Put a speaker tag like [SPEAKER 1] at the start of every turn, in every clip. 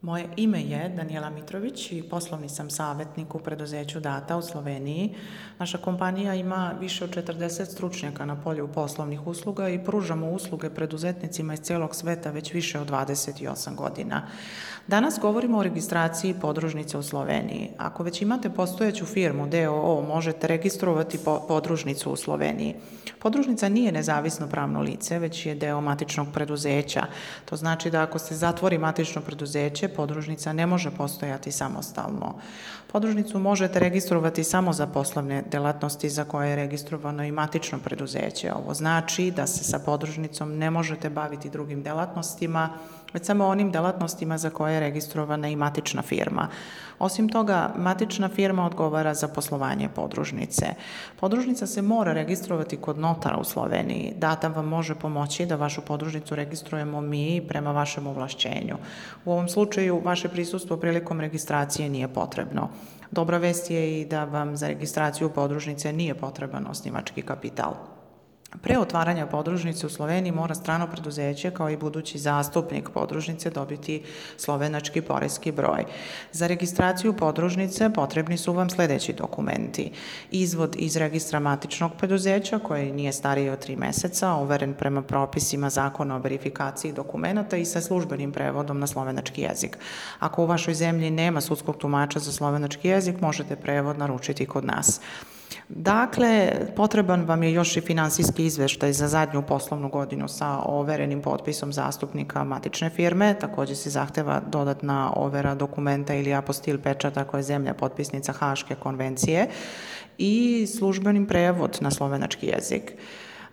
[SPEAKER 1] Moje ime je Danijela Mitrović i poslovni sam savjetnik u preduzeću Data u Sloveniji. Naša kompanija ima više od 40 stručnjaka na polju poslovnih usluga i pružamo usluge preduzetnicima iz cijelog sveta već više od 28 godina. Danas govorimo o registraciji podružnice u Sloveniji. Ako već imate postojeću firmu d.o.o. možete registrovati podružnicu u Sloveniji. Podružnica nije nezavisno pravno lice, već je deo matičnog preduzeća. To znači da ako se zatvori matično preduzeće, podružnica ne može postojati samostalno. Podružnicu možete registrovati samo za poslovne delatnosti za koje je registrovano i matično preduzeće. Ovo znači da se sa podružnicom ne možete baviti drugim delatnostima, već samo onim delatnostima za koje je registrovana i matična firma. Osim toga, matična firma odgovara za poslovanje podružnice. Podružnica se mora registrovati kod notara u Sloveniji. Data vam može pomoći da vašu podružnicu registrujemo mi prema vašem ovlašćenju. U ovom slučaju, vaše prisustvo prilikom registracije nije potrebno. Dobra vest je i da vam za registraciju podružnice nije potreban osnivački kapital. Pre otvaranja podružnice u Sloveniji mora strano preduzeće kao i budući zastupnik podružnice dobiti slovenački poreski broj. Za registraciju podružnice potrebni su vam sljedeći dokumenti: izvod iz registra matičnog preduzeća koji nije stariji od 3 meseca, overen prema propisima Zakona o verifikaciji dokumenata i sa službenim prevodom na slovenački jezik. Ako u vašoj zemlji nema sudskog tumača za slovenački jezik, možete prevod naručiti kod nas. Dakle, potreban vam je još i finansijski izveštaj za zadnju poslovnu godinu sa overenim potpisom zastupnika matične firme. Također se zahteva dodatna overa dokumenta ili apostil pečata koje je zemlja potpisnica Haške konvencije i službenim prevod na slovenački jezik.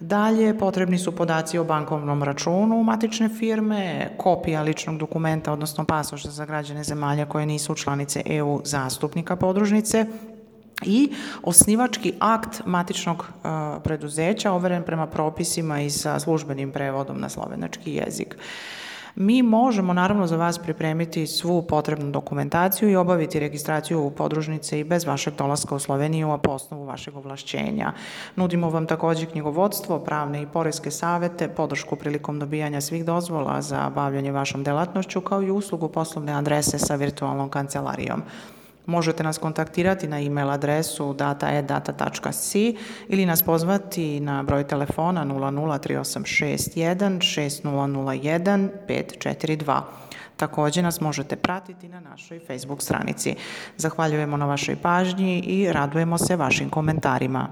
[SPEAKER 1] Dalje, potrebni su podaci o bankovnom računu matične firme, kopija ličnog dokumenta, odnosno pasoša za građane zemalja koje nisu članice EU zastupnika podružnice, i osnivački akt matičnog preduzeća overen prema propisima i sa službenim prevodom na slovenački jezik. Mi možemo naravno za vas pripremiti svu potrebnu dokumentaciju i obaviti registraciju podružnice i bez vašeg dolaska u Sloveniju, a po osnovu vašeg ovlašćenja. Nudimo vam također knjigovodstvo, pravne i poreske savete, podršku prilikom dobijanja svih dozvola za bavljanje vašom delatnošću, kao i uslugu poslovne adrese sa virtualnom kancelarijom. Možete nas kontaktirati na e-mail adresu data@data.si ili nas pozvati na broj telefona 003861 6001 542. Također nas možete pratiti na našoj Facebook stranici. Zahvaljujemo na vašoj pažnji i radujemo se vašim komentarima.